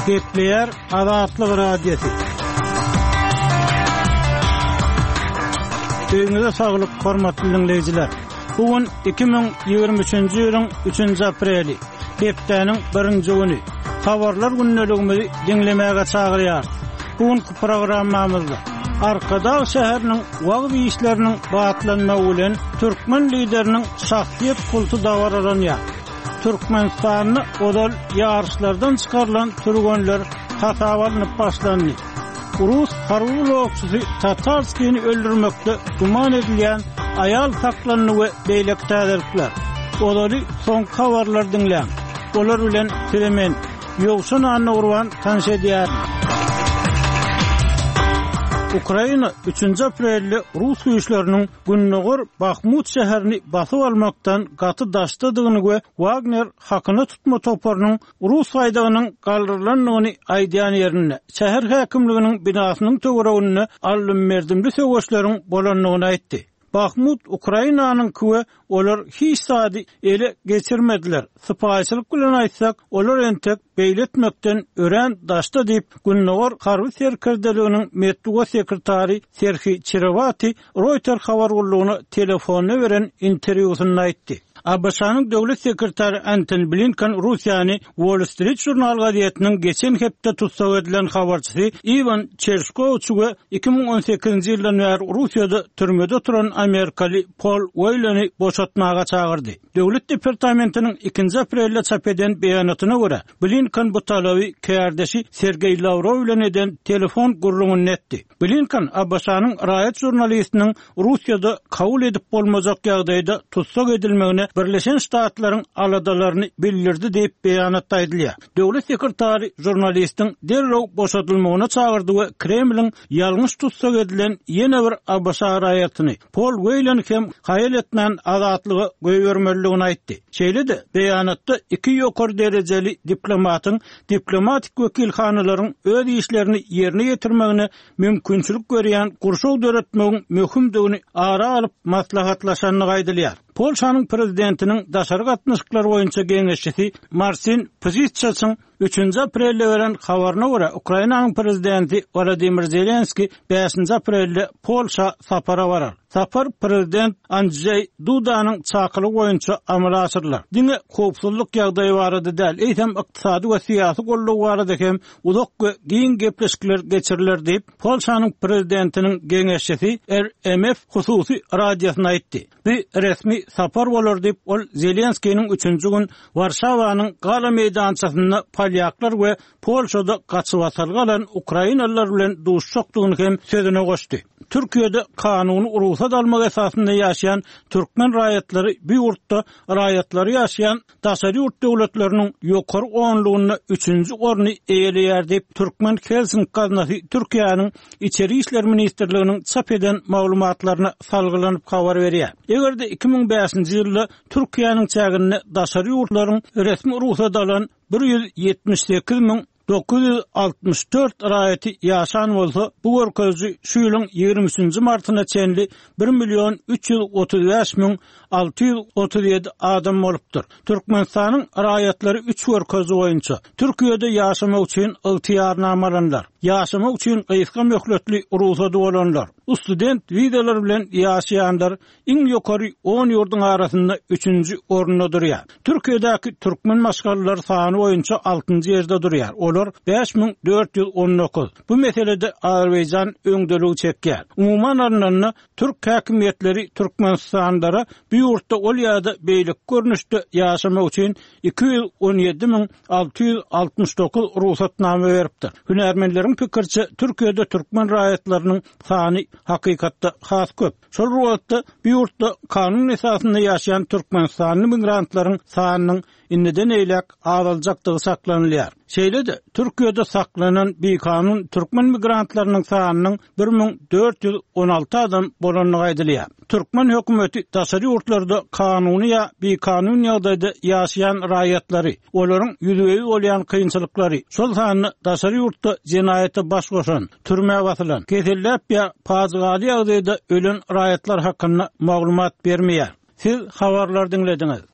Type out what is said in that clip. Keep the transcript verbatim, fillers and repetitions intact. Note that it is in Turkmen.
Gepleýär Azatlyk Radiosy. Öýüňize saglyk, hormatly diňleýjiler. Bu gün iki müň ýigrimi üçünji ýylyň üçünji apreli, hepdäniň birinji güni. Habarlar gündeligimizi diňlemäge çagyrýarys. Bu günki programmamyzda Arkadag şäheriniň wagyz işleriniň batlanmagy bilen türkmen lideriniň şahsyýet kulty dabaralanýar. Türkmenistanda ozal ýaryşlardan çykarylan türgenler hasaba alnyp başlandy. Rus harby ulagçysy Tatarskini öldürmekde güman edilýän aýal saklandy we beýleki täzelikler. Ozaly soňky habarlary diňläň. Olar bilen size men, Ýowşan Annagurban tanyş edýärin. Ukraina üçünji aprelde rus güýçleriniň gündogar Bahmut şäherini basyp almakdan gaty daşdadygyny we Wagner hakyna tutma toparynyň rus baýdagynyň galdyrylandygyny aýdýan ýerinde, şäher häkimliginiň binasynyň töwereginde aldym-berdimli söweşleriň bolandygyny aýtdy. Bahmut Ukrainanyňky we olar hiç zady ele geçirmediler. Sypaýyçylyk bilen aýtsak, olar entek beýle etmekden örän daşda diýip, Gündogar harby serkerdeliginiň metbugat sekretary Serhiý Çerewati Reuters habar gullugyna telefonda beren interwýusynda aýtdy. A B Ş-nyň döwlet sekretary Antony Blinken Russiýany Wall Street Journal gazetiniň geçen hepde tussag edilen habarçysy Iwan Çerşkowiç we iki müň on sekizinji ýyldan bäri Russiýada türmede oturan amerikaly Pol Weýleni boşatmaga çagyrdy. Döwlet departamentiniň ikinji aprelde çap eden beýanatyna görä, Blinken bu talaby kärdeşi Sergeý Lawrow bilen eden telefon gürrüňinde etdi. Blinken A B Ş-nyň raýat žurnalistiniň Russiýada kabul edip bolmajak ýagdaýda tussag edilmegine Birleşen Ştatlaryň aladalaryny bildirdi diýip beýanatda aýdylýar. Döwlet sekretary žurnalistiň derrew boşadylmagyna çagyrdy we Kremliň ýalňyş tussag edilen ýene bir A B Ş raýatyny Pol Weýleni hem haýal etmän azatlyga goýbermelidigini aýtdy. Şeýle-de beýanatda iki ýokary derejeli diplomatyň diplomatik wekilhanalaryň öz işlerini ýerine ýetirmegine mümkinçilik görýän gurşaw döretmegiň möhümdigini ara alyp maslahatlaşandygy aýdylýar. Polşanyň prezidentiniň daşary gatnaşyklar boýunça geňeşçisi Marcin Przydacz üçünji aprelde beren habaryna görä, Ukrainanyň prezidenti Wladimir Zelenski bäşinji aprelde Polşa sapara barar. Sapar prezident Andrzej Dudanyň çakylygy boýunça amala aşyrylar. Diňe howpsuzlyk ýagdaýy barada däl, eýsem ykdysady we syýasy goldaw barada hem uzak we giň gepleşikler geçiriler diýip, Polşanyň prezidentiniň geňeşçisi R M F hususy radiosyna aýtdy. Bu resmi sapar bolar diýip, ol Zelenskiniň üçünji gün Warşawanyň Gala meýdançasynda polýaklar we Polşada gaçybatalga alan ukrainalylar bilen duşjakdygyny hem sözüne goşdy. Türkiýede kanuny rugsat almak esasynda ýaşaýan türkmen raýatlary bu ýurtda raýatlary ýaşaýan daşary ýurt döwletleriniň ýokary onlugynda üçünji orny eýeleýär diýip, Türkmen Helsinki gaznasy Türkiýäniň Içeri İşler Ministrliginiň çap eden maglumatlaryna salgylanyp habar berýär. Eger-de iki müň bäşinji ýylda Türkiýäniň çäginde daşary ýurtlaryň resmi rugsat alan bir ýüz ýetmiş sekiz müň dokuz ýüz altmyş dört raýaty ýaşan bolsa, bu görkeziji şu ýylyň ýigrimi üçünji martyna çenli bir million üç ýüz otuz bäş müň alty ýüz otuz ýedi adam bolupdyr. Türkmenistanyň raýatlary üç görkeziji boýunça Türkiýede ýaşamak üçin ygtyýarnamalanlar, ýaşamak üçin gysga möhletli rugsady bolanlar, student wizalar bilen ýaşaýanlar iň ýokary on ýurduň arasynda üçünji orunda durýar. Türkiýedäki türkmen maşgalalary sany boýunça altynjy ýerde durýar. Olar bäş müň dört ýüz on dokuz. Bu meselede Azerbaýjan öňdeligi çekýär. Umuman alnanda türk häkimiýetleri Türkmenistanlara bu ýurtda ol ýa-da beýleki görnüşde ýaşamak üçin iki ýüz on ýedi müň alty ýüz altmyş dokuz rugsatnama beripdir. Hünärmenleriň pikirçe Türkiýede türkmen raýatlarynyň sany hakykatda has köp. Şol wagtda bu ýurtda kanun esasynda ýaşaýan Türkmenistanly migrantlaryň sanynyň indiden eýläk azaljakdygy saklanylýar. Şeýle-de Türkiýede saklanan bikanun türkmen migrantlarynyň sanynyň bir müň dört ýüz on alty adam bolandygy aýdylýar. Türkmen hökümeti daşary ýurtlarda kanuny ýa bikanun ýagdaýda ýaşaýan raýatlary, olaryň ýüzbe-ýüz bolýan kynçylyklary, şol sanda daşary ýurtda jenaýata baş goşan, türmä basylan, keselläp ýa pajygaly ýagdaýda ölen raýatlar hakynda maglumat bermeýär. Siz habarlar diňlediňiz.